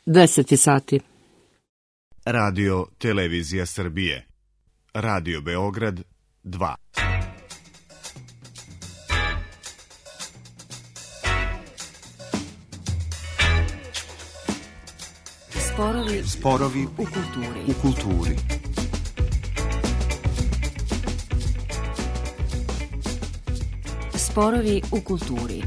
10 sati. Radio Televizija Srbije. Radio Beograd 2. Sporovi u kulturi. Sporovi u kulturi.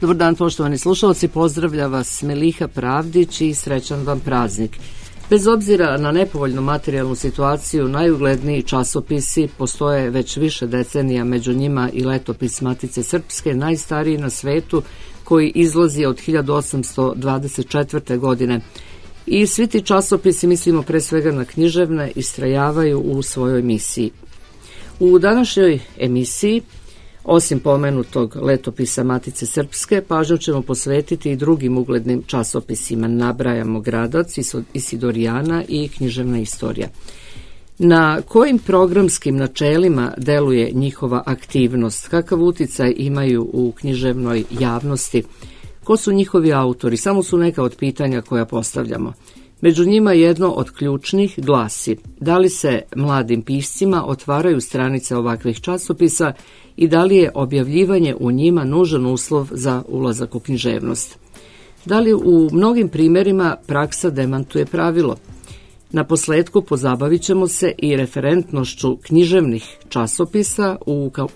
Dobar dan, poštovani slušalci, pozdravlja vas Meliha Pravdić i srećan vam praznik. Bez obzira na nepovoljnu materijalnu situaciju, najugledniji časopisi postoje već više decenija, među njima i Letopis Matice Srpske, najstariji na svetu, koji izlazi od 1824. godine. I svi ti časopisi, mislimo pre svega na književne, istrajavaju u svojoj misiji. U današnjoj emisiji, osim pomenutog Letopisa Matice Srpske, pažnju ćemo posvetiti i drugim uglednim časopisima. Nabrajamo Gradac, Isidorijana i Književna istorija. Na kojim programskim načelima deluje njihova aktivnost? Kakav uticaj imaju u književnoj javnosti? Ko su njihovi autori? Samo su neka od pitanja koja postavljamo. Među njima jedno od ključnih glasi: da li se mladim piscima otvaraju stranice ovakvih časopisa i da li je objavljivanje u njima nužan uslov za ulazak u književnost? Da li u mnogim primjerima praksa demantuje pravilo? Na posledku pozabavit ćemo se i referentnošću književnih časopisa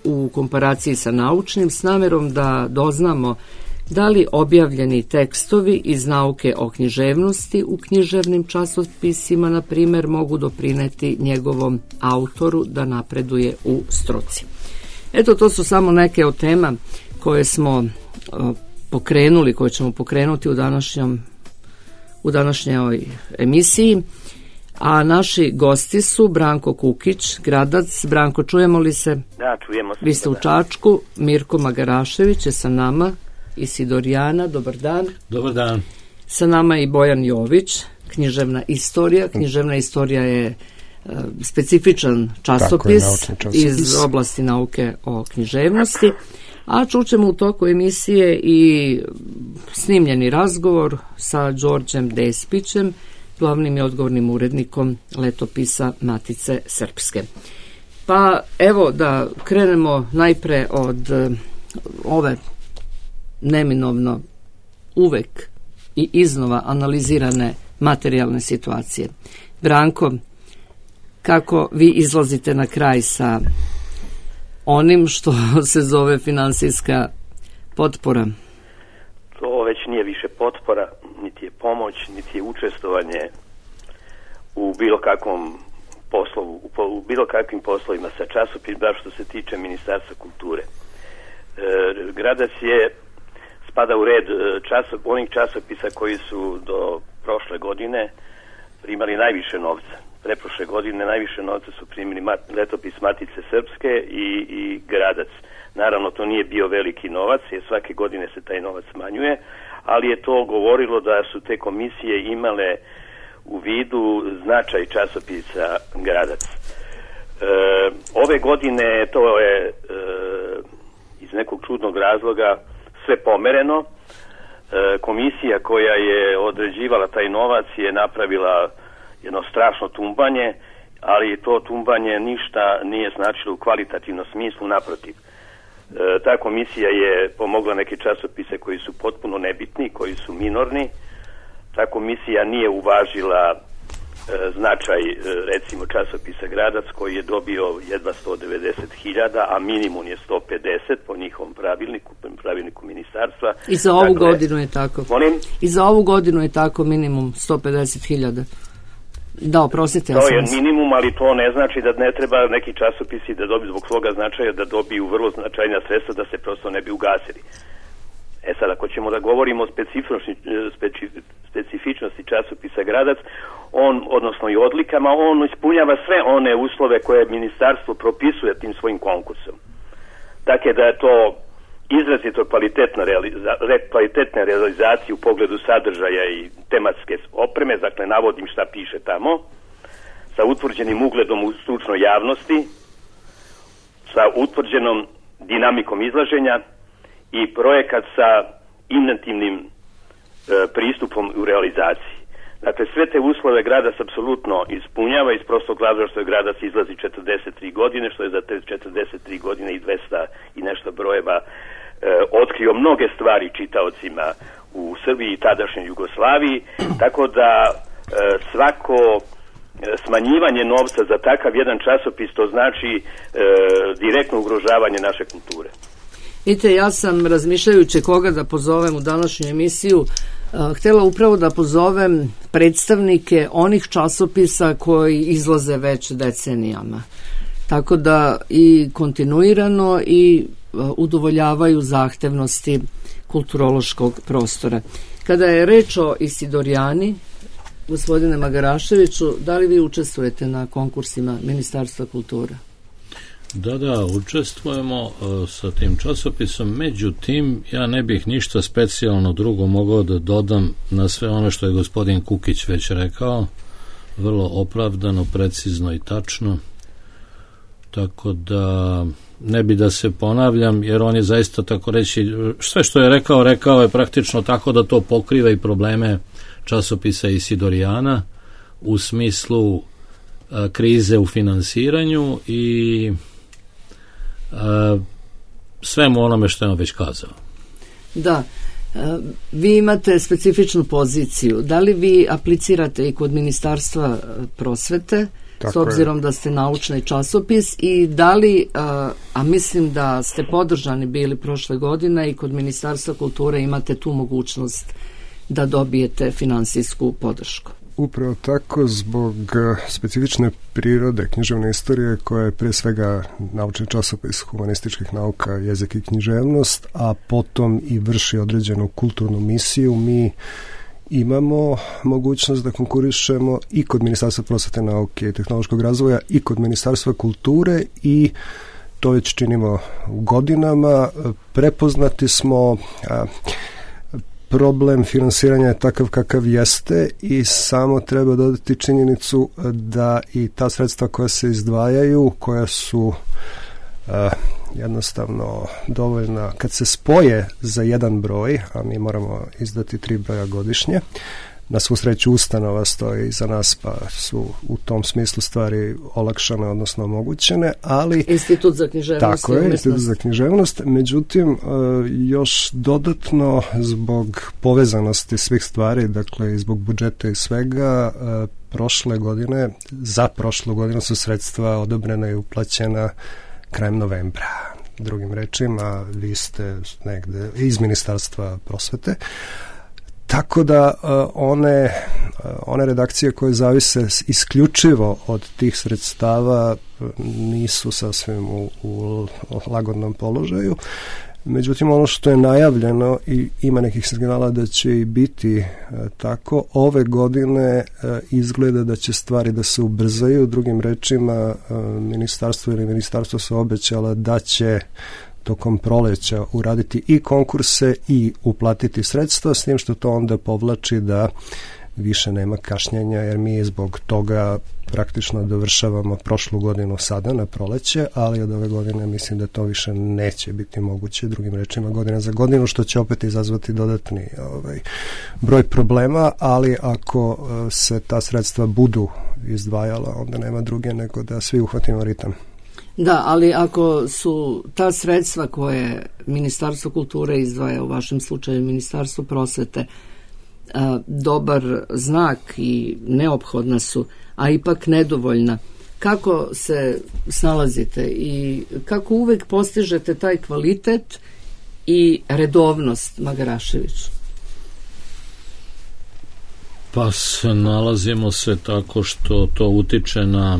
u komparaciji sa naučnim, s namerom da doznamo da li objavljeni tekstovi iz nauke o književnosti u književnim časopisima, na primjer, mogu doprineti njegovom autoru da napreduje u struci. Eto, to su samo neke od tema koje smo pokrenuli, koje ćemo pokrenuti u današnjoj emisiji. A naši gosti su Branko Kukić, Gradac. Branko, čujemo li se? Da, čujemo se. Vi ste u Čačku. Mirko Magarašević je sa nama. Isidorijana, dobar dan. Dobar dan. Sa nama i Bojan Jović, Književna istorija. Književna istorija je specifičan časopis iz oblasti nauke o književnosti. A čućemo u toku emisije i snimljeni razgovor sa Đorđem Despićem, glavnim i odgovornim urednikom Letopisa Matice Srpske. Pa evo da krenemo najpre od ove neminovno uvek i iznova analizirane materijalne situacije. Branko, kako vi izlazite na kraj sa onim što se zove finansijska potpora? To već nije više potpora, niti je pomoć, niti je učestvovanje u bilo kakvom poslovu, u bilo kakvim poslovima sa časopisima, baš što se tiče Ministarstva kulture. Gradac spada u red onih časopisa koji su do prošle godine primali najviše novca. Preprošle godine najviše novca su primili Letopis Matice Srpske i Gradac. Naravno, to nije bio veliki novac, jer svake godine se taj novac smanjuje, ali je to govorilo da su te komisije imale u vidu značaj časopisa Gradac. Ove godine to je iz nekog čudnog razloga sve pomereno. Komisija koja je određivala taj novac je napravila jedno strašno tumbanje, ali to tumbanje ništa nije značilo u kvalitativnom smislu, naprotiv. Ta komisija je pomogla neke časopise koji su potpuno nebitni, koji su minorni. Ta komisija nije uvažila značaj, recimo, časopisa Gradac, koji je dobio jedva 190.000, a minimum je 150 po njihovom pravilniku ministarstva. I za ovu godinu je tako. Molim? I za ovu godinu je tako minimum 150.000. Da, oprostite. To je minimum, ali to ne znači da ne treba neki časopisi da dobiju zbog svoga značaja, da dobiju vrlo značajna sredstva da se prosto ne bi ugasili. Sad, ako ćemo da govorimo o specifičnosti časopisa Gradac, odnosno i odlikama, on ispunjava sve one uslove koje ministarstvo propisuje tim svojim konkursom. Dakle, da je to izrazito kvalitetne realizacije u pogledu sadržaja i tematske opreme, dakle navodim šta piše tamo, sa utvrđenim ugledom u stručnoj javnosti, sa utvrđenom dinamikom izlaženja i projekat sa inventivnim pristupom u realizaciji. Dakle, sve te uslove grada se apsolutno ispunjava iz prostog razloga što je gradac izlazi 43 godine, što je za te 43 godine i 200 i nešto brojeva otkrio mnoge stvari čitaocima u Srbiji i tadašnjoj Jugoslaviji, tako da svako smanjivanje novca za takav jedan časopis to znači direktno ugrožavanje naše kulture. Vidite, ja sam razmišljajući koga da pozovem u današnju emisiju, htjela upravo da pozovem predstavnike onih časopisa koji izlaze već decenijama. Tako da i kontinuirano i udovoljavaju zahtevnosti kulturološkog prostora. Kada je reč o Isidorijani, gospodine Magaraševiću, da li vi učestvujete na konkursima Ministarstva kulture? Da, učestvujemo sa tim časopisom, međutim, ja ne bih ništa specijalno drugo mogao da dodam na sve ono što je gospodin Kukić već rekao, vrlo opravdano, precizno i tačno, tako da ne bi da se ponavljam, jer on je zaista, tako reći, sve što je rekao je praktično tako da to pokriva i probleme časopisa Isidorijana u smislu krize u finansiranju i svemu onome što je on već kazao. Da, vi imate specifičnu poziciju. Da li vi aplicirate i kod Ministarstva prosvete, tako s obzirom da ste naučni časopis, i da li, a mislim da ste podržani bili prošle godine, i kod Ministarstva kulture imate tu mogućnost da dobijete finansijsku podršku? Upravo tako, zbog specifične prirode književne istorije, koja je pre svega naučni časopis humanističkih nauka, jezik i književnost, a potom i vrši određenu kulturnu misiju, mi imamo mogućnost da konkurišemo i kod Ministarstva prosvete, nauke i tehnološkog razvoja i kod Ministarstva kulture, i to već činimo godinama. Prepoznati smo problem finansiranja je takav kakav jeste i samo treba dodati činjenicu da i ta sredstva koja se izdvajaju, koja su jednostavno dovoljna kad se spoje za jedan broj, a mi moramo izdati 3 broja godišnje. Na svu sreću ustanova stoji iza nas, pa su u tom smislu stvari olakšane, odnosno omogućene, ali Institut za književnost. Tako je, Institut za književnost. Međutim, još dodatno zbog povezanosti svih stvari, dakle i zbog budžeta i svega, za prošlu godinu su sredstva odobrena i uplaćena krajem novembra. Drugim rečima, vi ste negde iz Ministarstva prosvete. Tako da one redakcije koje zavise isključivo od tih sredstava nisu sasvim u lagodnom položaju. Međutim, ono što je najavljeno i ima nekih signala da će i biti tako, ove godine izgleda da će stvari da se ubrzaju. Drugim rečima, ministarstvo su obećala da će tokom proleća uraditi i konkurse i uplatiti sredstva, s tim što to onda povlači da više nema kašnjenja, jer mi zbog toga praktično dovršavamo prošlu godinu sada na proleće, ali od ove godine mislim da to više neće biti moguće, drugim rečima godina za godinu, što će opet izazvati dodatni broj problema, ali ako se ta sredstva budu izdvajala, onda nema druge nego da svi uhvatimo ritam. Da, ali ako su ta sredstva koje Ministarstvo kulture izdvaja, u vašem slučaju Ministarstvo prosvete, dobar znak i neophodna su, a ipak nedovoljna, kako se snalazite i kako uvek postižete taj kvalitet i redovnost, Magarašević? Pa nalazimo se tako što to utiče na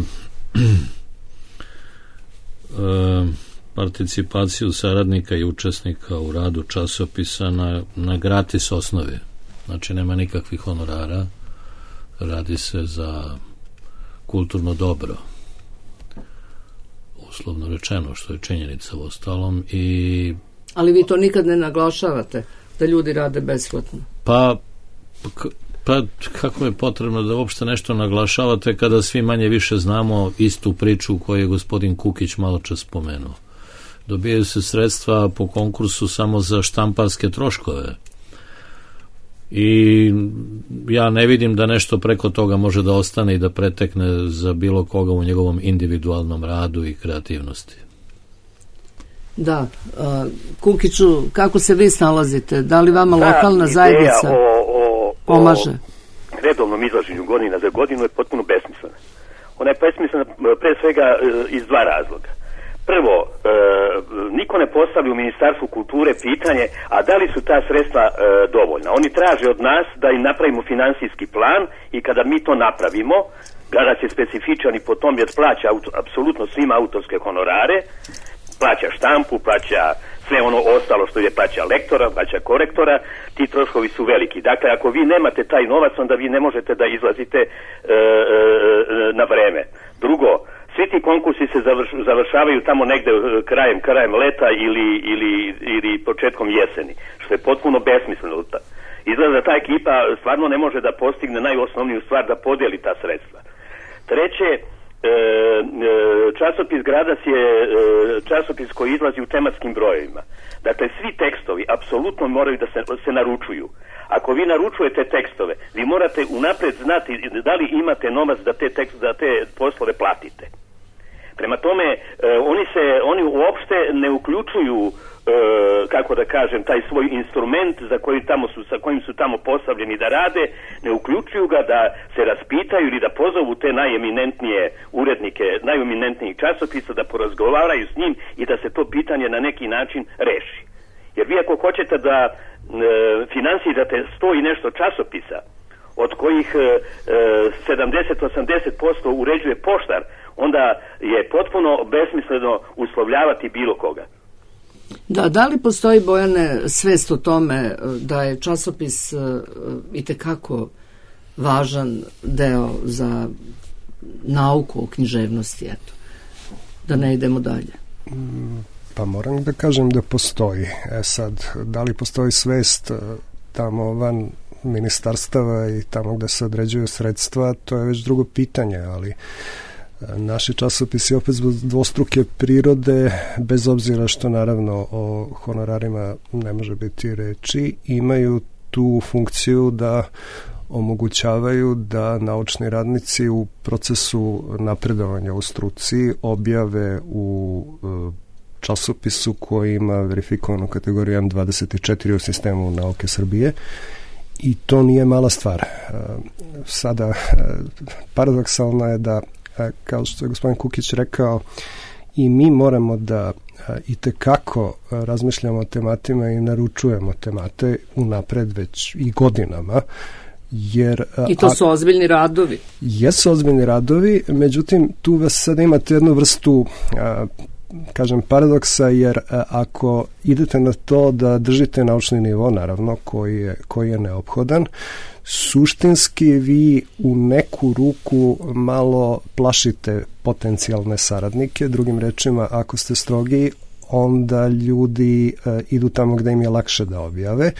participaciju saradnika i učesnika u radu časopisa na gratis osnovi. Znači nema nikakvih honorara, radi se za kulturno dobro, uslovno rečeno, što je činjenica u ostalom, i Ali vi to nikad ne naglašavate, da ljudi rade besplatno? Pa kako je potrebno da uopšte nešto naglašavate kada svi manje više znamo istu priču koju je gospodin Kukić malo čas spomenuo. Dobijaju se sredstva po konkursu samo za štamparske troškove. I ja ne vidim da nešto preko toga može da ostane i da pretekne za bilo koga u njegovom individualnom radu i kreativnosti. Kukiću, kako se vi snalazite? Da li vama lokalna zajednica pomaže? O redovnom izlaženju godina za godinu je potpuno besmislena. Ona je besmislena pre svega iz dva razloga. Prvo, niko ne postavlja u Ministarstvu kulture pitanje, a da li su ta sredstva dovoljna? Oni traže od nas da im napravimo finansijski plan i kada mi to napravimo, Gradac je specifičan i po tom jer plaća apsolutno svima autorske honorare, plaća štampu, plaća sve ono ostalo što je plaća lektora, plaća korektora, ti troškovi su veliki. Dakle, ako vi nemate taj novac, onda vi ne možete da izlazite na vreme. Drugo, svi ti konkursi se završavaju tamo negde krajem leta ili početkom jeseni, što je potpuno besmisleno. Izgleda da ta ekipa stvarno ne može da postigne najosnovniju stvar, da podijeli ta sredstva. Treće, časopis Gradac je časopis koji izlazi u tematskim brojevima. Dakle, svi tekstovi apsolutno moraju da se naručuju. Ako vi naručujete tekstove, vi morate unapred znati da li imate novac da te poslove platite. Prema tome, oni uopšte ne uključuju, kako da kažem, taj svoj instrument sa kojim su tamo postavljeni da rade, ne uključuju ga da se raspitaju ili da pozovu te najeminentnije urednike, najeminentnijih časopisa, da porazgovaraju s njim i da se to pitanje na neki način reši. Jer vi ako hoćete da finansirate 100 i nešto časopisa, od kojih 70-80% uređuje poštar, onda je potpuno besmisleno uslovljavati bilo koga. Da li postoji, Bojane, svest o tome da je časopis itekako važan deo za nauku o književnosti, eto, da ne idemo dalje? Pa moram da kažem da postoji. Sad, da li postoji svest tamo van ministarstava i tamo gde se određuju sredstva, to je već drugo pitanje, ali naši časopisi opet zbog dvostruke prirode, bez obzira što naravno o honorarima ne može biti reči, imaju tu funkciju da omogućavaju da naučni radnici u procesu napredovanja u struci objave u časopisu koji ima verifikovanu kategoriju M24 u sistemu nauke Srbije. I to nije mala stvar. Sada, paradoksalno je da, kao što je gospodin Kukić rekao, i mi moramo da itekako razmišljamo o tematima i naručujemo temate unapred već i godinama. I to su ozbiljni radovi. Jesu ozbiljni radovi, međutim, tu vas sad imate jednu vrstu kažem paradoksa, jer ako idete na to da držite naučni nivo, naravno, koji je neophodan, suštinski vi u neku ruku malo plašite potencijalne saradnike. Drugim rečima, ako ste strogi, onda ljudi idu tamo gde im je lakše da objave.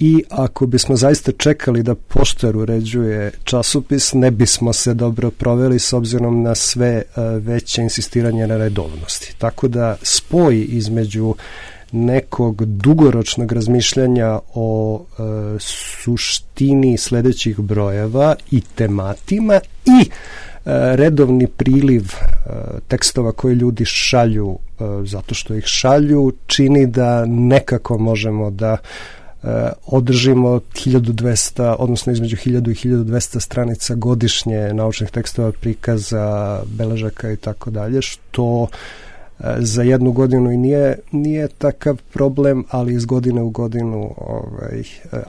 I ako bismo zaista čekali da poštar uređuje časopis, ne bismo se dobro proveli s obzirom na sve veće insistiranje na redovnosti. Tako da spoj između nekog dugoročnog razmišljanja o suštini sledećih brojeva i tematima i redovni priliv tekstova koje ljudi šalju zato što ih šalju, čini da nekako možemo da održimo 1200, odnosno između 1000 i 1200 stranica godišnje naučnih tekstova, prikaza, beležaka i tako dalje, što za jednu godinu i nije takav problem, ali iz godine u godinu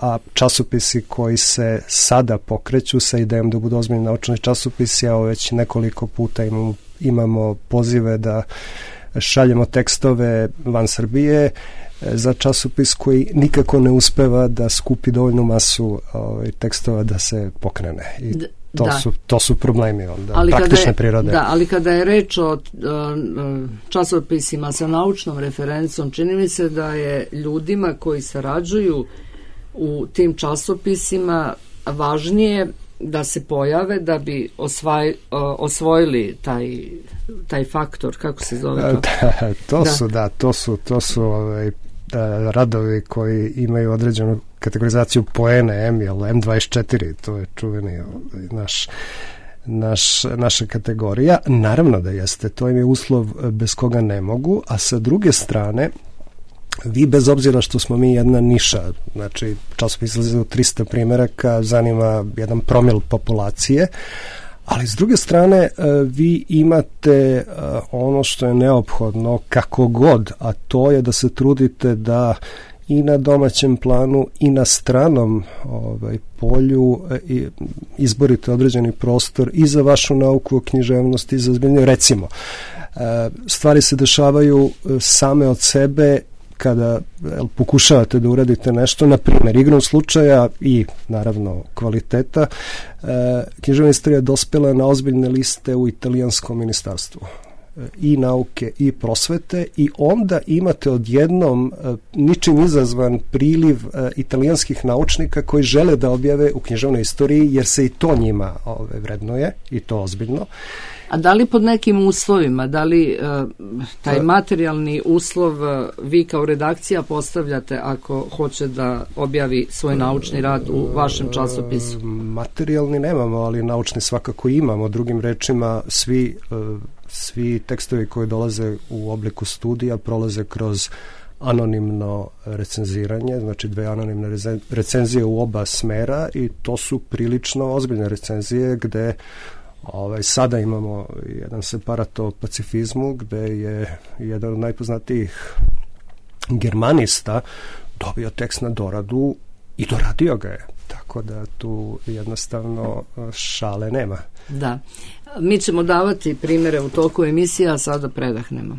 a časopisi koji se sada pokreću sa idejom da budu ozbiljni naučni časopisi, a već nekoliko puta imamo pozive da šaljemo tekstove van Srbije za časopis koji nikako ne uspeva da skupi dovoljnu masu tekstova da se pokrene. To su problemi onda, praktične prirode. Da, ali kada je reč o časopisima sa naučnom referencom, čini mi se da je ljudima koji sarađuju u tim časopisima važnije da se pojave da bi osvojili taj faktor, kako se zove to? To su radovi koji imaju određenu kategorizaciju poene M24, to je čuveni naša kategorija. Naravno da jeste, to im je uslov bez koga ne mogu, a sa druge strane vi, bez obzira što smo mi jedna niša, znači časopis izlazi u 300 primjeraka, zanima jedan promil populacije, ali s druge strane vi imate ono što je neophodno kako god, a to je da se trudite da i na domaćem planu i na stranom polju izborite određeni prostor i za vašu nauku o književnosti i za zbiljnje. Recimo, stvari se dešavaju same od sebe kada pokušavate da uradite nešto, na primjer, igrom slučaja i naravno kvaliteta, književna istorija je dospela na ozbiljne liste u italijanskom ministarstvu i nauke i prosvete, i onda imate odjednom ničim izazvan priliv italijanskih naučnika koji žele da objave u književnoj istoriji, jer se i to njima vrednuje, i to ozbiljno. A da li pod nekim uslovima, da li taj materijalni uslov vi kao redakcija postavljate ako hoće da objavi svoj naučni rad u vašem časopisu? Materijalni nemamo, ali naučni svakako imamo. Drugim rečima, svi tekstovi koji dolaze u obliku studija prolaze kroz anonimno recenziranje, znači 2 anonimne recenzije u oba smera, i to su prilično ozbiljne recenzije gde sada imamo jedan separat o pacifizmu gde je jedan od najpoznatijih germanista dobio tekst na doradu i doradio ga je. Tako da tu jednostavno šale nema. Da. Mi ćemo davati primjere u toku emisija, a sada predahnemo.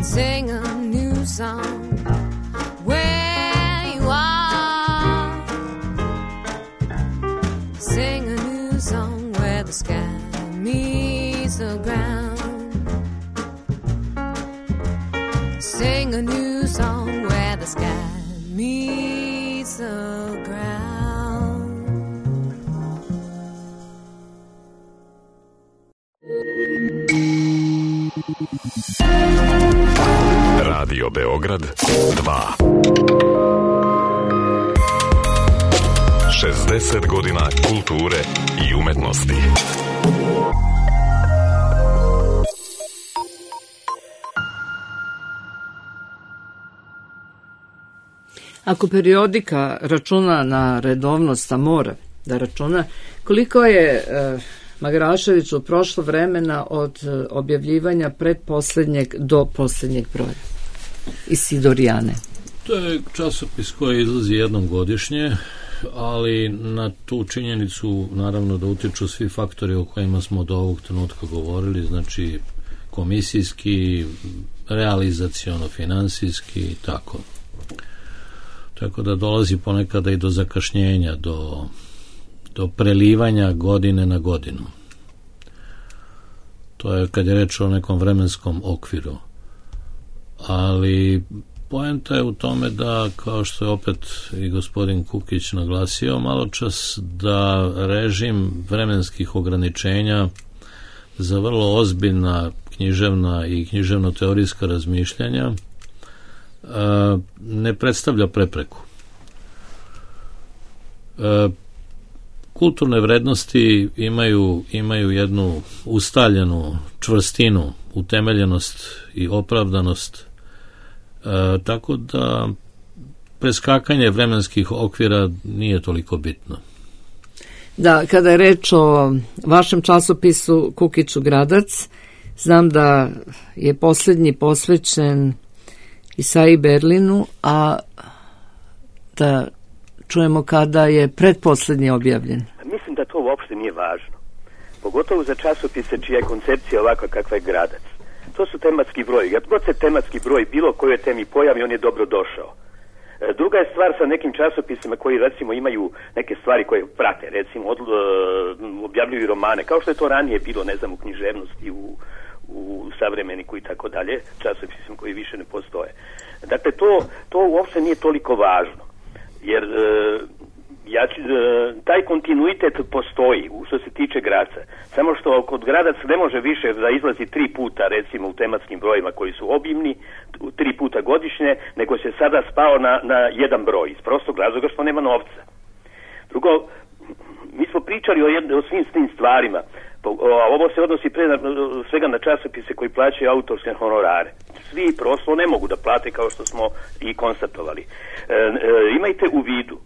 sing a new song where you are. Sing a new song where the sky meets the ground. Sing a new song where the sky meets the ground. Radio Beograd 2. 60 godina kulture i umetnosti. Ako periodika računa na redovnost, a mora da računa, koliko je Magaraševiću prošlo vremena od objavljivanja predposlednjeg do poslednjeg broja Isidorijane? To je časopis koji izlazi jednom godišnje, ali na tu činjenicu naravno da utiču svi faktori o kojima smo do ovog trenutka govorili, znači komisijski, realizaciono, finansijski i tako. Tako da dolazi ponekada i do zakašnjenja, do prelivanja godine na godinu. To je kad je reč o nekom vremenskom okviru. Ali poenta je u tome da, kao što je opet i gospodin Kukić naglasio malo čas, da režim vremenskih ograničenja za vrlo ozbiljna književna i književno-teorijska razmišljanja ne predstavlja prepreku. Kulturne vrednosti imaju jednu ustaljenu čvrstinu, utemeljenost i opravdanost, tako da preskakanje vremenskih okvira nije toliko bitno. Da, kada je reč o vašem časopisu Kukiću Gradac, znam da je poslednji posvećen Isaiji Berlinu, a da čujemo kada je predposlednji objavljen. Mislim da to uopšte nije važno. Pogotovo za časopise čija je koncepcija ovakva kakva je Gradac. To su tematski broji. Kad god se tematski broj bilo kojoj temi pojavi, on je dobro došao. Druga je stvar sa nekim časopisima koji recimo imaju neke stvari koje prate, recimo objavljuju romane, kao što je to ranije bilo, ne znam, u književnosti, u savremeniku i tako dalje, časopisima koji više ne postoje. Dakle, to uopšte nije toliko važno, jer taj kontinuitet postoji što se tiče Gradca. Samo što kod Gradac ne može više da izlazi 3 puta, recimo u tematskim brojima koji su obimni, 3 puta godišnje, nego se sada spao na jedan broj, iz prostog razloga što nema novca. Drugo, mi smo pričali o svim tim stvarima, a ovo se odnosi svega na časopise koji plaćaju autorske honorare. Svi prosto ne mogu da plate, kao što smo i konstatovali. Imajte u vidu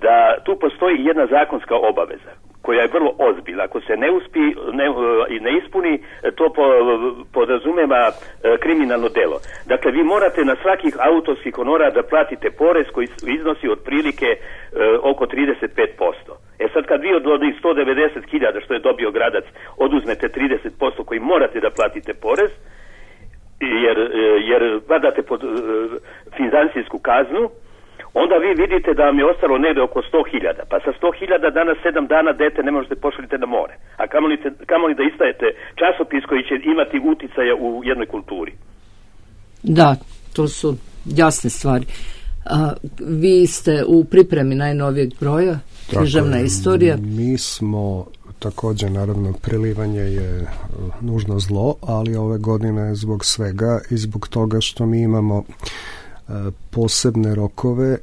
da tu postoji jedna zakonska obaveza koja je vrlo ozbiljna. Ako se ne ispuni, to podrazumeva kriminalno delo. Dakle, vi morate na svakih autorskih honora da platite porez koji iznosi otprilike oko 35%. Sad kad vi od onih 190.000 što je dobio Gradac oduzmete 30% koji morate da platite porez, jer padate pod financijsku kaznu, onda vi vidite da vam je ostalo negde oko 100.000. Pa sa 100.000 danas 7 dana dete ne možete pošaljiti na more. A kamoli da istajete časopis koji će imati uticaja u jednoj kulturi. Da, to su jasne stvari. Vi ste u pripremi najnovijeg broja, književna istorija. Mi smo također, naravno, prelivanje je nužno zlo, ali ove godine zbog svega i zbog toga što mi imamo posebne rokove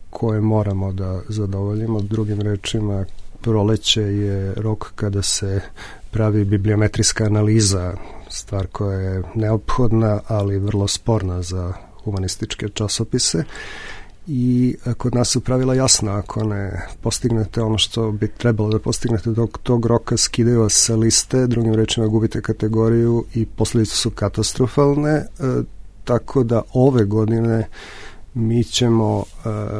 koje moramo da zadovoljimo. Drugim rečima, proleće je rok kada se pravi bibliometrijska analiza, stvar koja je neophodna, ali vrlo sporna za humanističke časopise. I kod nas su pravila jasna, ako ne postignete ono što bi trebalo da postignete do tog roka, skidaju vas sa liste, drugim rečima gubite kategoriju i posljedice su katastrofalne, tako da ove godine mi ćemo,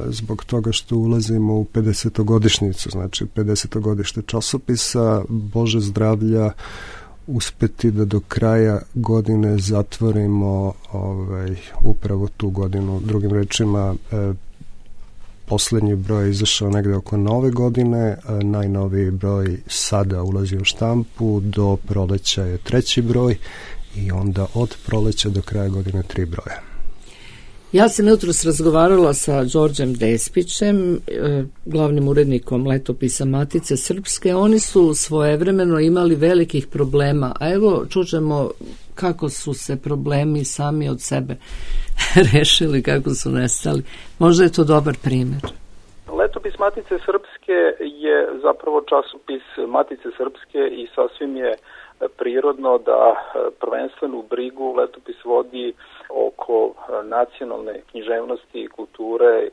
zbog toga što ulazimo u 50-godišnjicu, znači 50-godište časopisa, Bože zdravlja, uspeti da do kraja godine zatvorimo upravo tu godinu. Drugim rečima, poslednji broj je izašao negde oko nove godine, najnoviji broj sada ulazi u štampu, do proleća je 3. broj i onda od proleća do kraja godine 3 broja. Ja sam jutros razgovarala sa Đorđem Despićem, glavnim urednikom letopisa Matice Srpske. Oni su svojevremeno imali velikih problema, a evo čućemo kako su se problemi sami od sebe rešili, kako su nestali. Možda je to dobar primjer. Letopis Matice Srpske je zapravo časopis Matice Srpske i sasvim je prirodno da prvenstvenu brigu letopis vodi oko nacionalne književnosti, kulture,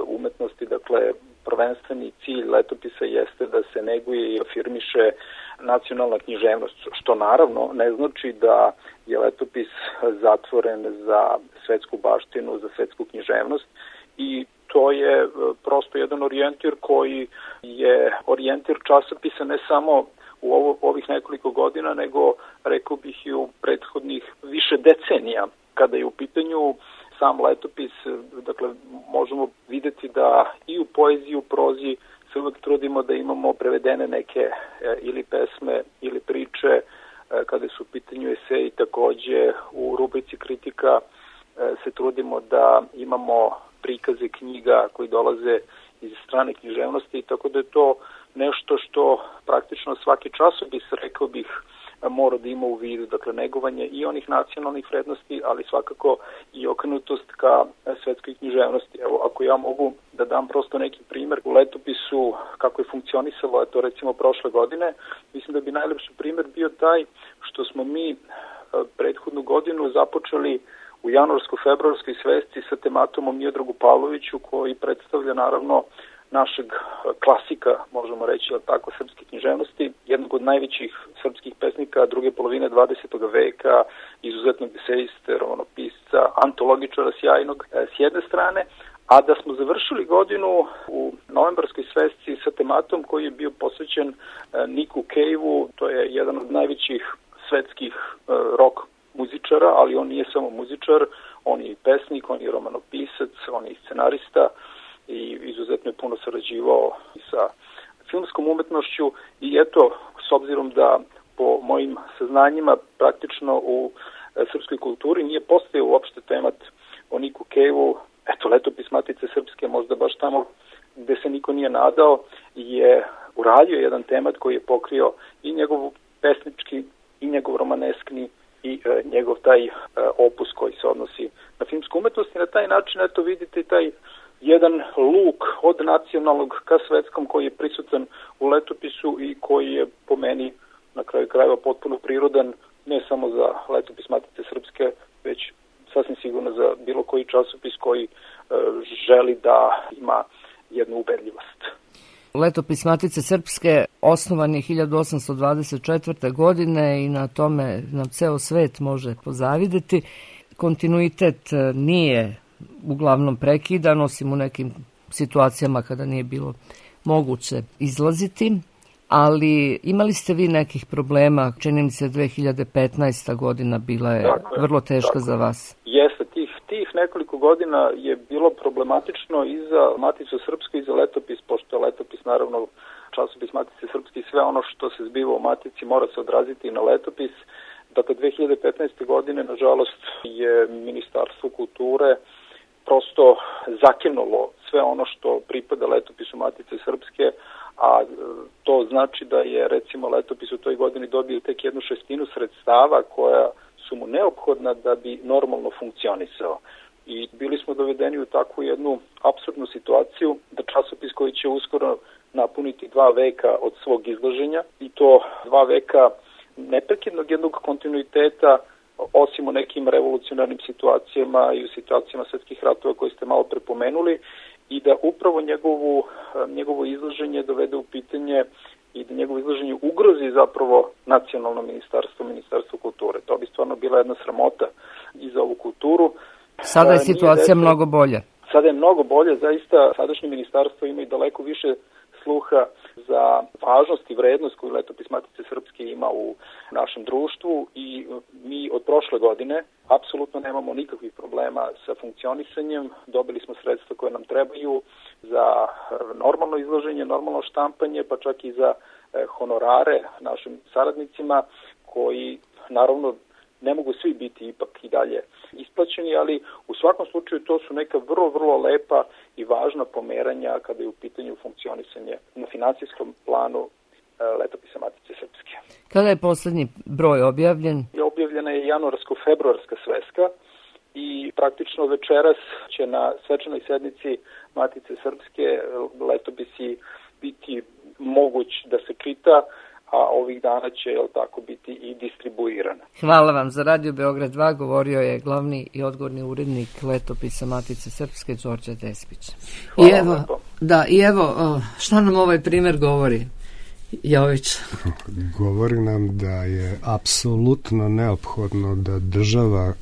umetnosti. Dakle, prvenstveni cilj letopisa jeste da se neguje i afirmiše nacionalna književnost, što naravno ne znači da je letopis zatvoren za svetsku baštinu, za svetsku književnost, i to je prosto jedan orijentir koji je orijentir časopisa ne samo u ovih nekoliko godina, nego rekao bih i u prethodnih više decenija. Kada je u pitanju sam letopis, dakle, možemo videti da i u poeziji i u prozi se uvek trudimo da imamo prevedene neke ili pesme ili priče. Kada su u pitanju eseji, takođe u rubrici kritika se trudimo da imamo prikaze knjiga koji dolaze iz strane književnosti, tako da je to nešto što praktično svaki časopis, rekao bih, mora da ima u vidu, dakle, negovanje i onih nacionalnih vrednosti, ali svakako i okrenutost ka svetskoj književnosti. Evo, ako ja mogu da dam prosto neki primer u letopisu kako je funkcionisalo, to recimo prošle godine, mislim da bi najlepši primer bio taj što smo mi prethodnu godinu započeli u januarsko-februarskoj svesci sa tematomom Miodragu Pavloviću, koji predstavlja naravno našeg klasika, možemo reći, tako, srpske književnosti, jednog od najvećih srpskih pesnika druge polovine 20. veka, izuzetnog esejiste, romanopisca, antologičara sjajnog s jedne strane, a da smo završili godinu u novembarskoj svesci sa tematom koji je bio posvećen Niku Cave-u. To je jedan od najvećih svetskih rock muzičara, ali on nije samo muzičar, on je i pesnik, on je romanopisac, on je i scenarista i izuzetno je puno sarađivao sa filmskom umetnošću. I eto, s obzirom da po mojim saznanjima praktično u srpskoj kulturi nije postojao uopšte temat o Niku Cave-u, eto, letopis Matice Srpske, možda baš tamo gde se niko nije nadao, je uradio jedan temat koji je pokrio i njegov pesnički i njegov romaneskni i njegov taj opus koji se odnosi na filmsku umetnost. I na taj način, eto, vidite taj jedan luk od nacionalnog ka svetskom koji je prisutan u letopisu i koji je po meni na kraju krajeva potpuno prirodan, ne samo za letopis Matice Srpske, već sasvim sigurno za bilo koji časopis koji želi da ima jednu ubedljivost. Letopis Matice Srpske osnovan je 1824. godine i na tome nam ceo svet može pozavideti. Kontinuitet nije uglavnom prekidan, osim u nekim situacijama kada nije bilo moguće izlaziti, ali imali ste vi nekih problema, čini mi se 2015. godina bila je vrlo teška za vas. Jeste, tih nekoliko godina je bilo problematično i za Maticu Srpsku i za letopis, pošto je letopis naravno časopis Matice Srpske i sve ono što se zbiva u Matici mora se odraziti i na letopis. Dakle, 2015. godine, nažalost, je Ministarstvo kulture prosto zakinulo sve ono što pripada letopisu Matice Srpske, a to znači da je, recimo, letopis u toj godini dobio tek 1/6 sredstava koja su mu neophodna da bi normalno funkcionisao. I bili smo dovedeni u takvu jednu apsurdnu situaciju da časopis koji će uskoro napuniti 2 veka od svog izlaženja, i to 2 veka neprekidnog jednog kontinuiteta, osim u nekim revolucionarnim situacijama i u situacijama svetskih ratova koje ste malo prepomenuli, i da upravo njegovo izlaženje dovede u pitanje i da njegovo izlaženje ugrozi zapravo nacionalno ministarstvo kulture. To bi stvarno bila jedna sramota i za ovu kulturu. Sada je situacija mnogo bolja. Sada je mnogo bolje, zaista sadašnje ministarstvo ima i daleko više sluha za važnost i vrednost koju letopis Matice Srpske ima u našem društvu i mi od prošle godine apsolutno nemamo nikakvih problema sa funkcionisanjem. Dobili smo sredstva koje nam trebaju za normalno izloženje, normalno štampanje, pa čak i za honorare našim saradnicima koji naravno ne mogu svi biti ipak i dalje isplaćeni, ali u svakom slučaju to su neka vrlo lepa i važna pomeranja kada je u pitanju funkcionisanje na finansijskom planu letopisa Matice Srpske. Kada je poslednji broj objavljen? Objavljena je januarsko-februarska sveska i praktično večeras će na svečanoj sednici Matice Srpske letopisi biti moguć da se čita, a ovih dana će tako biti i distribuirana. Hvala vam. Za Radio Beograd 2 govorio je glavni i odgovorni urednik letopisa Matice Srpske Đorđe Despić. I evo, šta nam ovaj primer govori, Jović? Govori nam da je apsolutno neophodno da država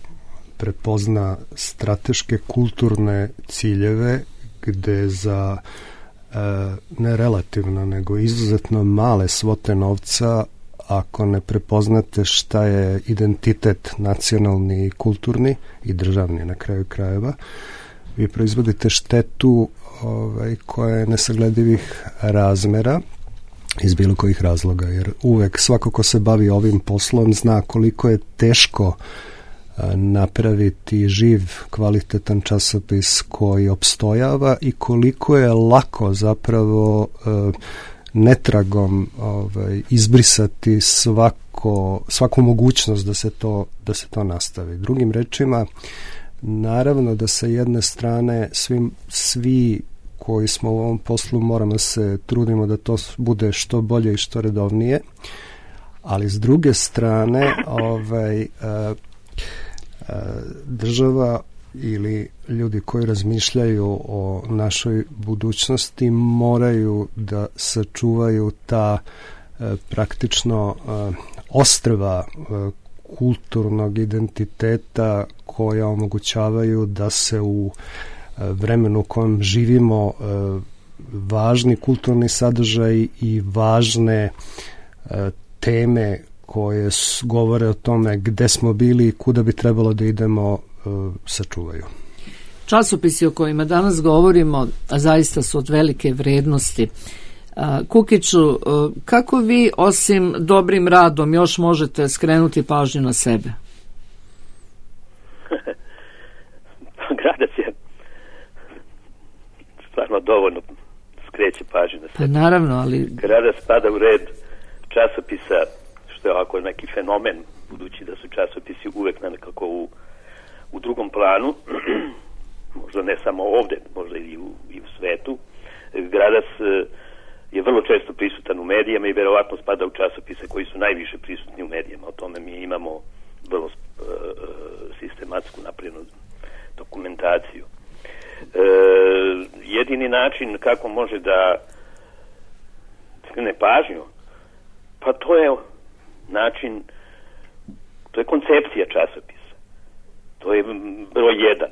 prepozna strateške kulturne ciljeve gde za ne relativno, nego izuzetno male svote novca, ako ne prepoznate šta je identitet nacionalni i kulturni i državni na kraju krajeva, vi proizvodite štetu koja je nesagledivih razmera iz bilo kojih razloga, jer uvek svako ko se bavi ovim poslom zna koliko je teško napraviti živ, kvalitetan časopis koji opstojava i koliko je lako zapravo netragom izbrisati svaku mogućnost da se to nastavi. Drugim rečima, naravno da sa jedne strane svi koji smo u ovom poslu moramo se trudimo da to bude što bolje i što redovnije, ali s druge strane država ili ljudi koji razmišljaju o našoj budućnosti moraju da sačuvaju ta praktično ostrva kulturnog identiteta koja omogućavaju da se u vremenu u kojem živimo važni kulturni sadržaj i važne teme koje govore o tome gde smo bili i kuda bi trebalo da idemo sačuvaju. Časopisi o kojima danas govorimo zaista su od velike vrednosti. Kukiću, kako vi osim dobrim radom još možete skrenuti pažnju na sebe? Gradac je stvarno dovoljno skreće pažnju na sebe. Pa naravno, ali... Gradac spada u red časopisa, što je ovako neki fenomen, budući da su časopisi uvek nekako u drugom planu, možda ne samo ovde, možda i u svetu. Gradac je vrlo često prisutan u medijama i verovatno spada u časopise koji su najviše prisutni u medijama. O tome mi imamo vrlo sistematsku naprednu dokumentaciju. Jedini način kako može da skrene pažnju, pa to je način, to je koncepcija časopisa. To je broj 1.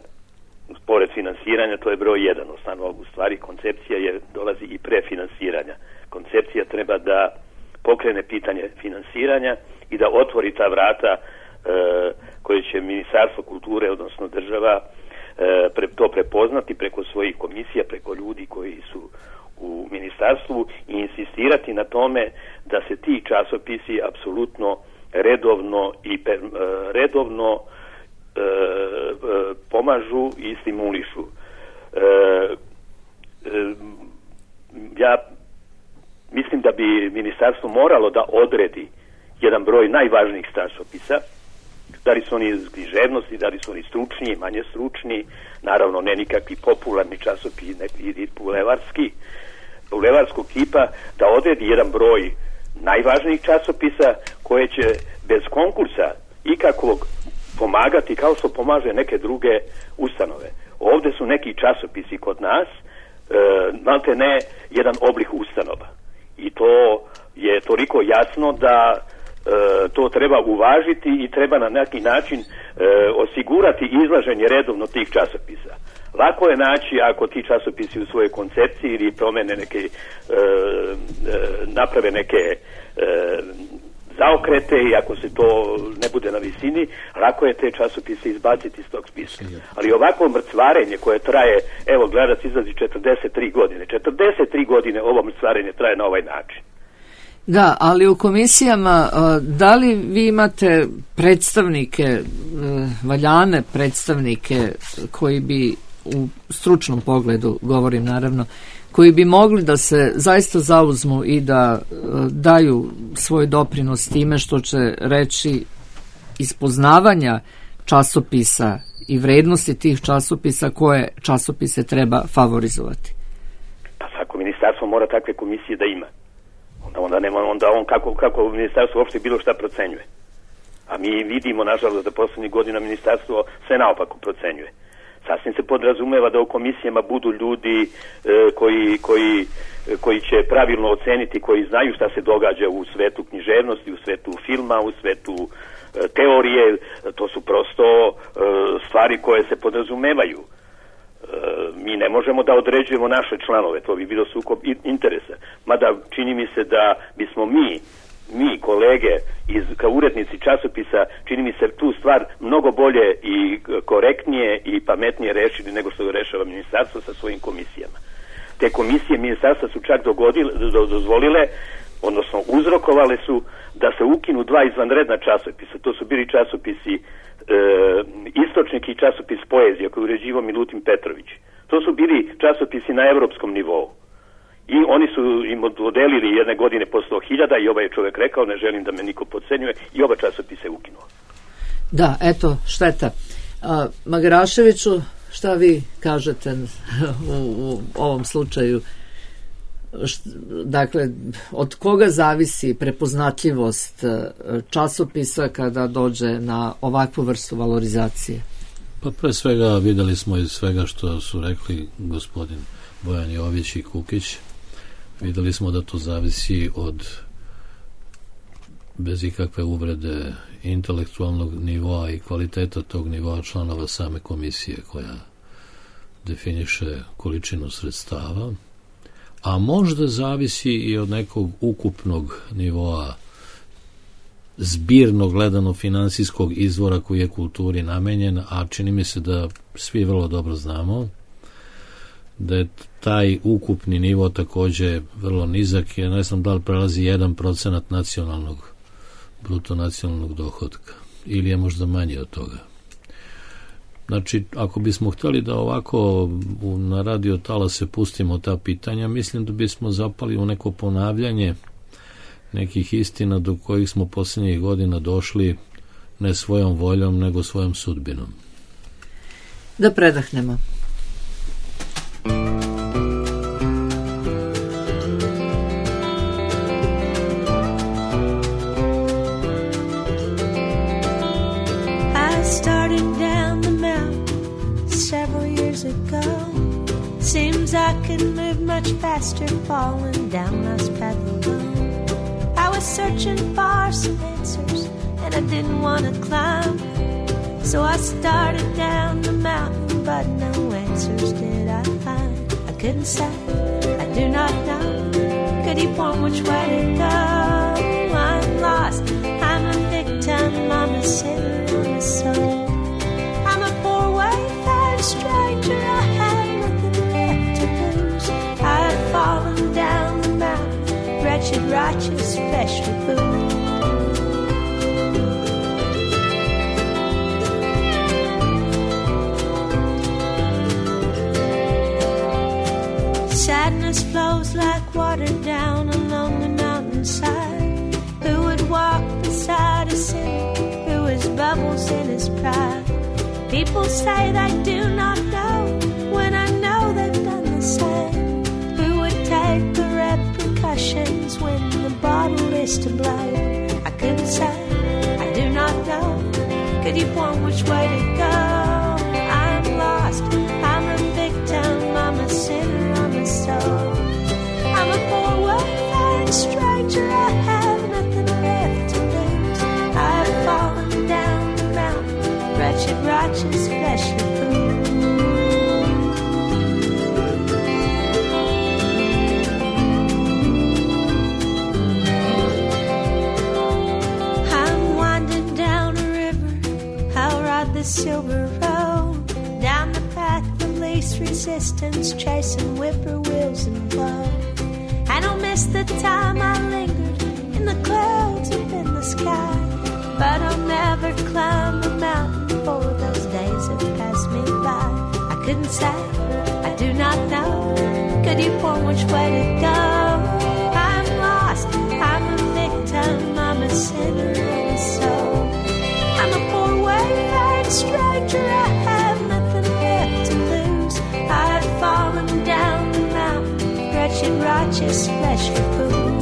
Pored finansiranja, to je broj 1. U stvari, koncepcija dolazi i pre finansiranja. Koncepcija treba da pokrene pitanje finansiranja i da otvori ta vrata koje će Ministarstvo kulture, odnosno država, to prepoznati preko svojih komisija, preko ljudi koji su u ministarstvu i insistirati na tome da se ti časopisi apsolutno redovno pomažu i stimulišu. Ja mislim da bi ministarstvo moralo da odredi jedan broj najvažnijih časopisa, da li su oni iz književnosti, da li su oni stručni, manje stručni, naravno ne nikakvi popularni časopisi, neki bulevarskog tipa, da odredi jedan broj najvažnijih časopisa koje će bez konkursa ikakvog pomagati kao što pomaže neke druge ustanove. Ovde su neki časopisi kod nas, malte ne jedan oblik ustanova. I to je toliko jasno da to treba uvažiti i treba na neki način osigurati izlaženje redovno tih časopisa. Lako je naći ako ti časopisi u svojoj koncepciji ili promene neke, naprave neke zaokrete i ako se to ne bude na visini, lako je te časopise izbaciti iz tog spiska. Ali ovako mrcvarenje koje traje, evo Gledac izlazi 43 godine. 43 godine ovo mrcvarenje traje na ovaj način. Da, ali u komisijama, da li vi imate predstavnike, valjane predstavnike koji bi u stručnom pogledu, govorim naravno, koji bi mogli da se zaista zauzmu i da daju svoj doprinos time što će reći iz poznavanja časopisa i vrednosti tih časopisa koje časopise treba favorizovati? Pa svako ministarstvo mora takve komisije da ima. Onda on kako ministarstvo uopšte bilo šta procenjuje. A mi vidimo, nažalost, da poslednjih godina ministarstvo sve naopako procenjuje. Sasvim se podrazumeva da u komisijama budu ljudi koji će pravilno oceniti, koji znaju šta se događa u svetu književnosti, u svetu filma, u svetu teorije. To su prosto stvari koje se podrazumevaju. Mi ne možemo da određujemo naše članove, to bi bilo sukob interesa. Mada čini mi se da bismo mi kolege kao urednici časopisa, čini mi se tu stvar mnogo bolje i korektnije i pametnije rešili nego što rešava ministarstvo sa svojim komisijama. Te komisije ministarstva su čak dozvolile, odnosno uzrokovale su da se ukinu 2 izvanredna časopisa. To su bili časopisi Istočnik i časopis Poezija koji uređivao Milutin Petrović. To su bili časopisi na evropskom nivou. I oni su im dodelili jedne godine po 100.000 i ovaj je čovjek rekao, ne želim da me niko podcenjuje, i oba časopisa je ukinuo. Da, eto, šteta. Magaraševiću, šta vi kažete u ovom slučaju? Dakle, od koga zavisi prepoznatljivost časopisa kada dođe na ovakvu vrstu valorizacije? Pa pre svega videli smo iz svega što su rekli gospodin Bojan Jović i Kukić, videli smo da to zavisi od, bez ikakve uvrede, intelektualnog nivoa i kvaliteta tog nivoa članova same komisije koja definiše količinu sredstava, a možda zavisi i od nekog ukupnog nivoa zbirno gledano finansijskog izvora koji je kulturi namenjen, a čini mi se da svi vrlo dobro znamo da je taj ukupni nivo takođe vrlo nizak, jer ne znam da li prelazi 1% bruto nacionalnog dohotka ili je možda manje od toga. Znači, ako bismo hteli da ovako na radio talase pustimo ta pitanja, mislim da bismo zapali u neko ponavljanje nekih istina do kojih smo posljednjih godina došli ne svojom voljom, nego svojom sudbinom. Da predahnemo. Seems I could move much faster falling down life's path alone. I was searching for some answers and I didn't want to climb, so I started down the mountain, but no answers did I find. I couldn't say, I do not know. Could you point which way to go? I'm lost, I'm a victim, I'm a sinner, I'm a soul. I'm a poor wayfaring stranger, I have falling down the mountain, wretched, righteous, special fool. Sadness flows like water down along the mountainside. Who would walk beside a sinner who has bubbles in his pride? People say they do not know when I know they've done the same. Take the repercussions when the bottle is to blame. I couldn't say, I do not know. Could you point which way to go? I'm lost, I'm a victim, I'm a sinner, I'm a soul. I'm a poor wayfaring stranger, I have nothing left to lose. I've fallen down the mountain, wretched, righteous, fleshly fool. silver road, down the path of least resistance, chasing whippoorwills and blow. I don't miss the time I lingered in the clouds up in the sky, but I'll never climb a mountain for those days that passed me by. I couldn't say, I do not know, could you point which way to go? I'm lost, I'm a victim, I'm a sinner in a soul. I'm a poor wayfaring stranger, I have nothing left to lose. I've fallen down the mountain, wretched, righteous, fleshly fool.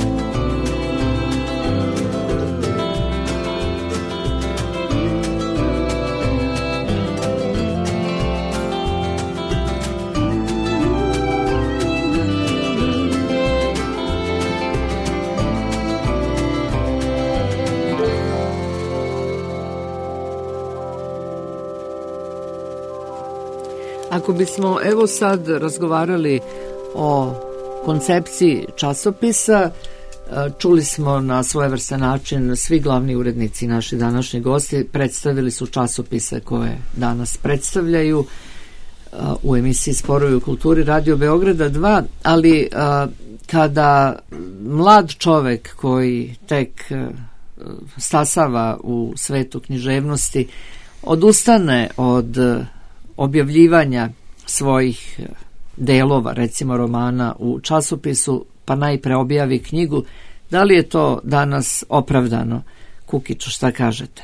Ako bismo evo sad razgovarali o koncepciji časopisa, čuli smo na svojevrstan način svi glavni urednici, naši današnji gosti, predstavili su časopise koje danas predstavljaju u emisiji Sporovi u kulturi Radio Beograda 2, ali kada mlad čovek koji tek stasava u svetu književnosti odustane od objavljivanja svojih delova, recimo romana u časopisu, pa najpre objavi knjigu, da li je to danas opravdano? Kukiću, šta kažete?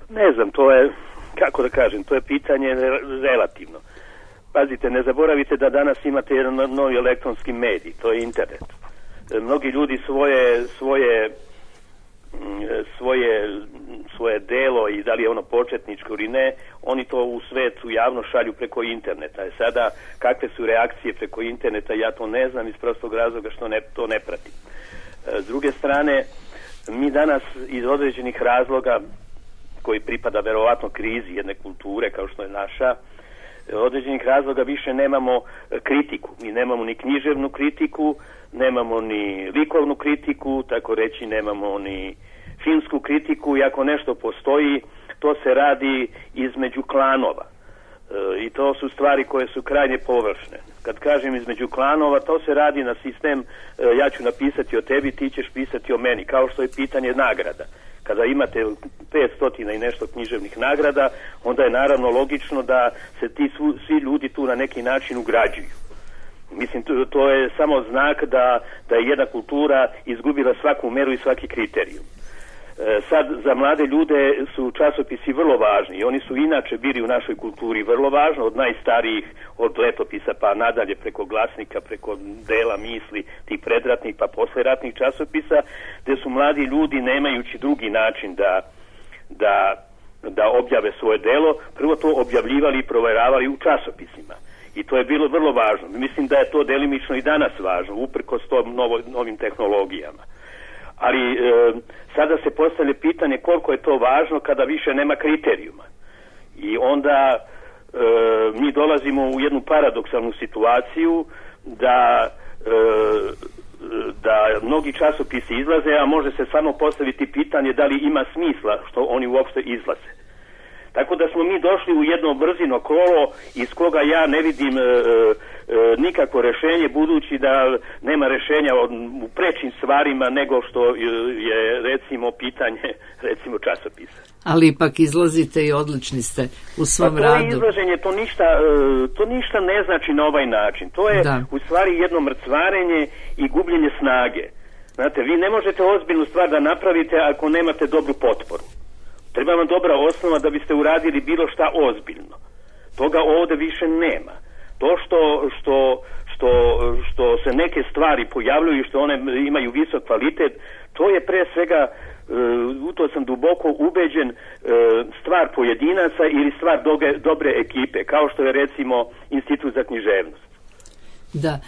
Ne znam, to je, kako da kažem, to je pitanje relativno. Pazite, ne zaboravite da danas imate jedan novi elektronski medij, to je internet. Mnogi ljudi svoje delo, i da li je ono početničko ili ne, oni to u svetu javno šalju preko interneta. Sada, kakve su reakcije preko interneta, ja to ne znam iz prostog razloga što to ne pratim. S druge strane, mi danas iz određenih razloga, koji pripada verovatno krizi jedne kulture kao što je naša, određenih razloga više nemamo kritiku. Mi nemamo ni književnu kritiku, nemamo ni likovnu kritiku, tako reći nemamo ni filmsku kritiku, i ako nešto postoji, to se radi između klanova. I to su stvari koje su krajnje površne. Kad kažem između klanova, to se radi na sistem, ja ću napisati o tebi, ti ćeš pisati o meni, kao što je pitanje nagrada. Kada imate 500 i nešto književnih nagrada, onda je naravno logično da se svi ljudi tu na neki način ugrađuju. Mislim, to je samo znak da je jedna kultura izgubila svaku meru i svaki kriterijum. Sad, za mlade ljude su časopisi vrlo važni i oni su inače bili u našoj kulturi vrlo važni, od najstarijih, od letopisa pa nadalje, preko glasnika, preko dela misli, tih predratnih pa posleratnih časopisa, gde su mladi ljudi, nemajući drugi način da objave svoje delo, prvo to objavljivali i proveravali u časopisima. I to je bilo vrlo važno. Mislim da je to delimično i danas važno, uprkos tom novim tehnologijama. Ali sada se postavlja pitanje koliko je to važno kada više nema kriterijuma. I onda mi dolazimo u jednu paradoksalnu situaciju da mnogi časopisi izlaze, a može se samo postaviti pitanje da li ima smisla što oni uopšte izlaze. Tako da smo mi došli u jedno brzino kolo iz koga ja ne vidim nikakvo rešenje, budući da nema rešenja u prečim stvarima nego što je recimo pitanje recimo časopisa. Ali ipak izlazite i odlični ste u svom radu. To izlaženje, to ništa ne znači na ovaj način. To je u stvari jedno mrcvarenje i gubljenje snage. Znate, vi ne možete ozbiljnu stvar da napravite ako nemate dobru potporu. Treba vam dobra osnova da biste uradili bilo šta ozbiljno. Toga ovde više nema. To što se neke stvari pojavljuju i što one imaju visok kvalitet, to je pre svega, u to sam duboko ubeđen, stvar pojedinaca ili stvar dobre ekipe, kao što je recimo Institut za književnost. Da.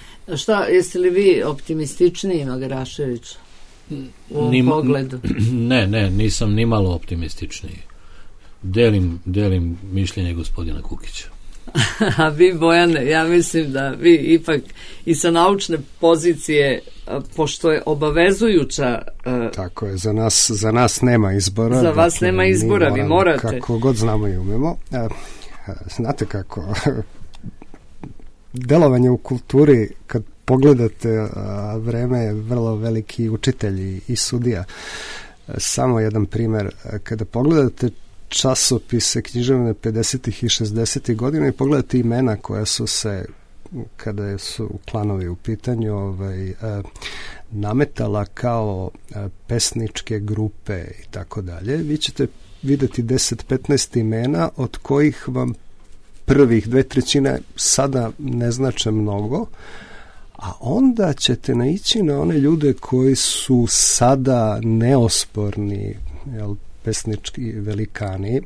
Šta, jeste li vi optimističniji, Magarašević? Pogledu. Ne, nisam ni malo optimističniji. Delim mišljenje gospodina Kukića. A vi, Bojane, ja mislim da vi ipak i sa naučne pozicije, pošto je obavezujuća... Tako je, za nas nema izbora. Za vas nema izbora, vi morate. Kako god znamo i umemo. Znate kako, delovanje u kulturi, kad pogledate, vreme je vrlo veliki učitelj i sudija. Samo jedan primjer, kada pogledate časopise književne 50. i 60. godina i pogledate imena koja su se, kada su klanovi u pitanju, nametala kao pesničke grupe i tako dalje, vi ćete vidjeti 10-15 imena od kojih vam prvih 2/3 sada ne znače mnogo, a onda ćete naići na one ljude koji su sada neosporni, pesnički velikani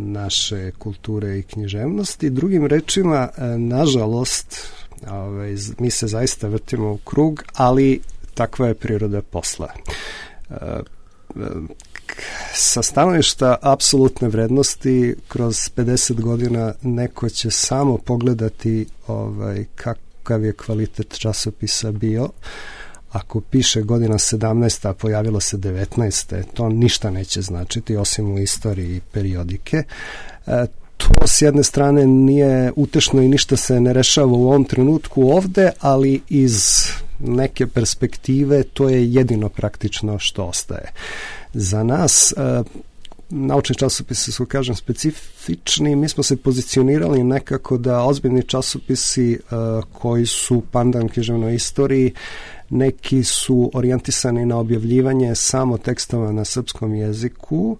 naše kulture i književnosti. Drugim rečima, nažalost, mi se zaista vrtimo u krug, ali takva je priroda posla. Sa stanovišta apsolutne vrednosti, kroz 50 godina neko će samo pogledati kakav je kvalitet časopisa bio. Ako piše godina 17, a pojavilo se 19, to ništa neće značiti, osim u istoriji periodike. To s jedne strane nije utešno i ništa se ne rešava u ovom trenutku ovde, ali iz neke perspektive to je jedino praktično što ostaje. Za nas naučni časopisi su, kažem, specifični. Mi smo se pozicionirali nekako da ozbiljni časopisi koji su pandan književnoj istoriji, neki su orijentisani na objavljivanje samo tekstova na srpskom jeziku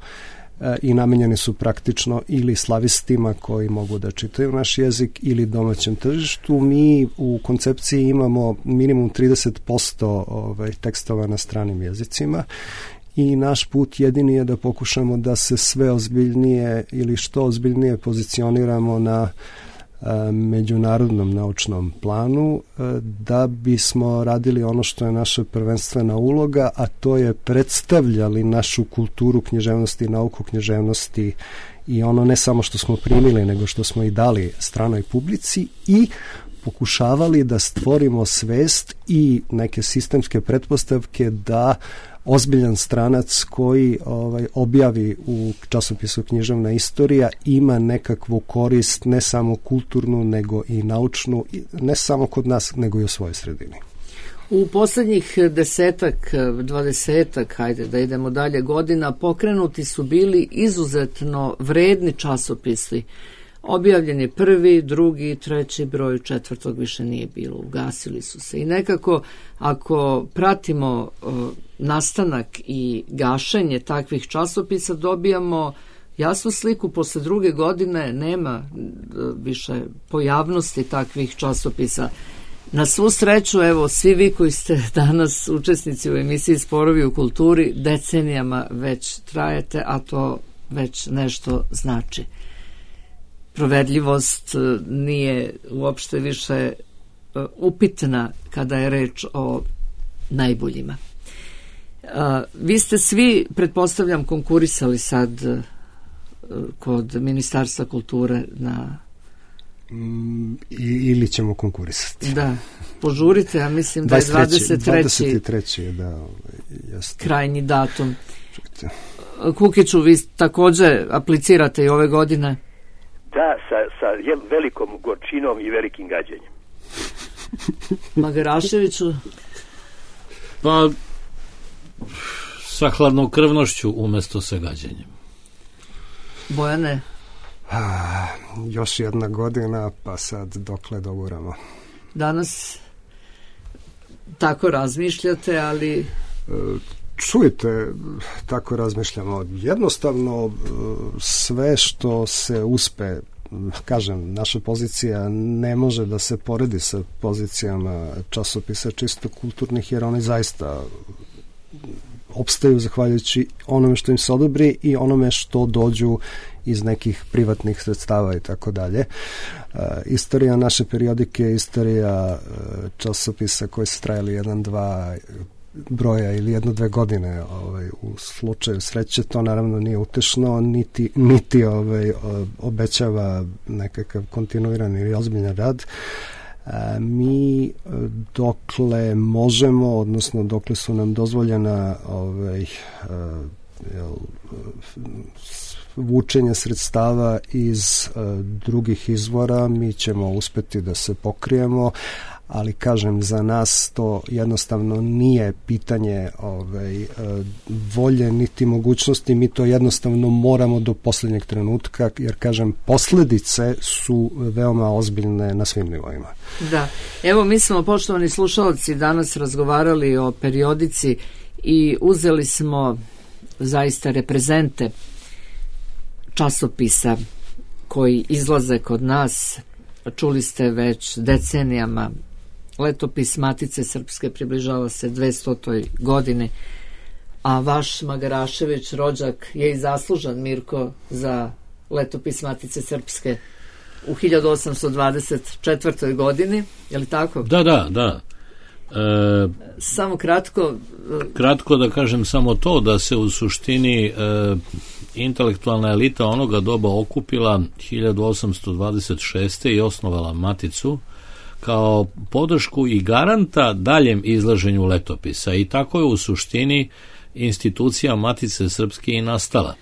i namenjeni su praktično ili slavistima koji mogu da čitaju naš jezik ili domaćem tržištu. Mi u koncepciji imamo minimum 30% tekstova na stranim jezicima i naš put jedini je da pokušamo da se sve ozbiljnije ili što ozbiljnije pozicioniramo na međunarodnom naučnom planu, da bismo radili ono što je naša prvenstvena uloga, a to je predstavljali našu kulturu književnosti i nauku književnosti i ono ne samo što smo primili, nego što smo i dali stranoj publici i pokušavali da stvorimo svest i neke sistemske pretpostavke da ozbiljan stranac koji objavi u časopisu Književna istorija ima nekakvu korist, ne samo kulturnu, nego i naučnu, ne samo kod nas, nego i u svojoj sredini. U poslednjih 10-20, hajde da idemo dalje, godina, pokrenuti su bili izuzetno vredni časopisi. Objavljen je 1., 2., 3. broj, 4. više nije bilo, ugasili su se. I nekako, ako pratimo nastanak i gašenje takvih časopisa, dobijamo jasnu sliku. Posle 2. godine nema više pojavnosti takvih časopisa. Na svu sreću, evo, svi vi koji ste danas učesnici u emisiji Sporovi u kulturi, decenijama već trajete, a to već nešto znači. Provedljivost nije uopšte više upitna kada je reč o najboljima. Vi ste svi, pretpostavljam, konkurisali sad kod Ministarstva kulture na... Ili ćemo konkurisati. Da, požurite, ja mislim da je 23. da, jeste. Krajnji datum. Kukiću, vi takođe aplicirate i ove godine? Da, sa velikom gorčinom i velikim gađenjem. Magaraševiću? Pa, sa hladnokrvnošću umesto sa gađenjem. Bojane? Još jedna godina, pa sad dokle doguramo. Danas tako razmišljate, ali... Čujte, tako razmišljamo. Jednostavno, sve što se uspe, kažem, naša pozicija ne može da se poredi sa pozicijama časopisa čisto kulturnih, jer oni zaista opstaju zahvaljujući onome što im se odobri i onome što dođu iz nekih privatnih sredstava i tako dalje. Istorija naše periodike, istorija časopisa koji su trajali 1, 2, broja ili 1-2 godine u slučaju sreće, to naravno nije utešno, niti obećava nekakav kontinuirani ili ozbiljan rad. Mi dokle možemo, odnosno dokle su nam dozvoljena vučenje sredstava iz drugih izvora, mi ćemo uspeti da se pokrijemo, ali kažem, za nas to jednostavno nije pitanje volje niti mogućnosti, mi to jednostavno moramo do posljednjeg trenutka, jer kažem, posljedice su veoma ozbiljne na svim nivoima. Da, evo mi smo, poštovani slušalci, danas razgovarali o periodici i uzeli smo zaista reprezente časopisa koji izlaze kod nas. Čuli ste već decenijama, letopis Matice Srpske približava se 200. godini, a vaš Magarašević rođak je i zaslužan, Mirko, za letopis Matice Srpske u 1824. godini, je li tako? Da. Samo kratko. Kratko da kažem samo to, da se u suštini intelektualna elita onoga doba okupila 1826. i osnovala Maticu kao podršku i garanta daljem izlaženju letopisa, i tako je u suštini institucija Matice Srpske i nastala.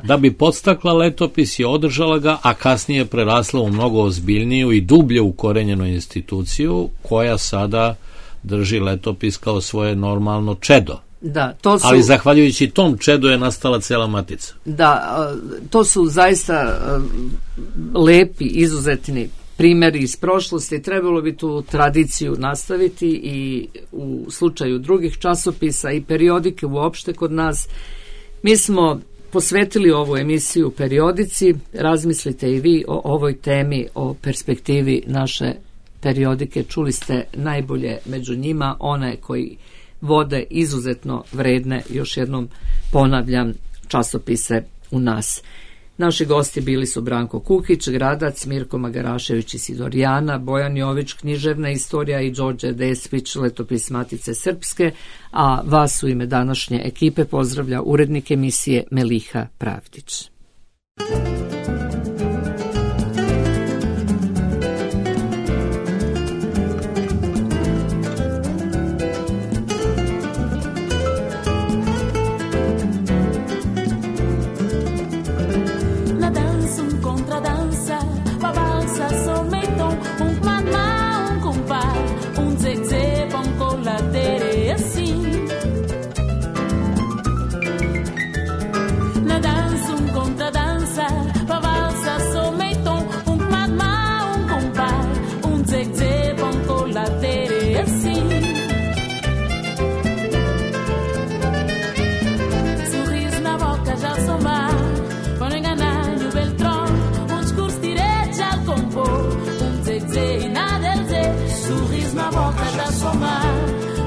Da bi podstakla letopis i održala ga, a kasnije prerasla u mnogo ozbiljniju i dublje ukorenjenu instituciju koja sada drži letopis kao svoje normalno čedo. Da, ali zahvaljujući tom čedu je nastala cela Matica. Da, to su zaista lepi, izuzetni primjeri iz prošlosti. Trebalo bi tu tradiciju nastaviti i u slučaju drugih časopisa i periodike uopšte kod nas. Mi smo posvetili ovu emisiju periodici. Razmislite i vi o ovoj temi, o perspektivi naše periodike. Čuli ste najbolje među njima, one koji vode izuzetno vredne, još jednom ponavljam, časopise u nas. Naši gosti bili su Branko Kukić, Gradac, Mirko Magarašević iz Sidorijana, Bojan Jović, Književna istorija i Đorđe Despić, letopis Matice Srpske, a vas u ime današnje ekipe pozdravlja urednik emisije Meliha Pravdić.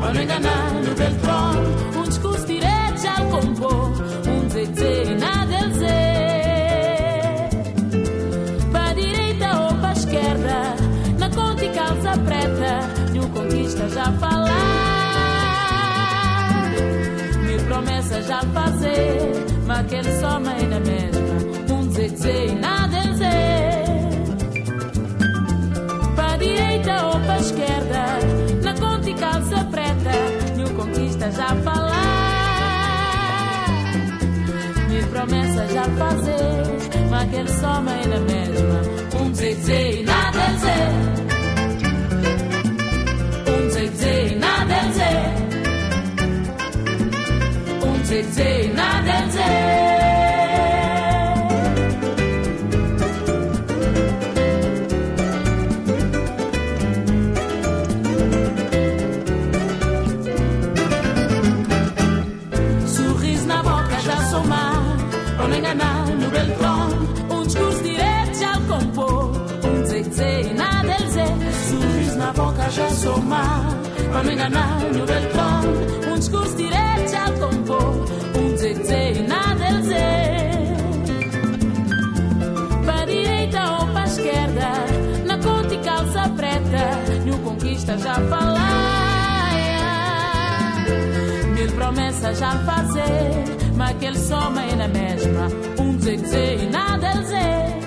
Para não enganar no Beltrão, discurso direto ao compor, zezé e nada a dizer. Para direita ou para esquerda, na conta e calça preta, nenhum conquista já falar, mil promessas já fazer, mas aquele só mãe na mesma, zezé e nada a dizer. Para direita ou para esquerda, na conta e calça preta, nenhum conquista já falar, mil promessas já fazer, mas aquele só mãe na mesma, zezé e nada a dizer, zezé e nada a dizer, zezé e nada a dizer. No Beltrão, discurso direto já compor, zezé e nada a dizer. Sorriso na boca já somar, para não enganar no Beltrão, discurso direto já compor, zezé e nada a dizer. Para a direita ou para a esquerda, na conta e calça preta, nenhum conquista já falar, promessa já fazer, mas aquele soma é na mesma, dizer e nada dizer.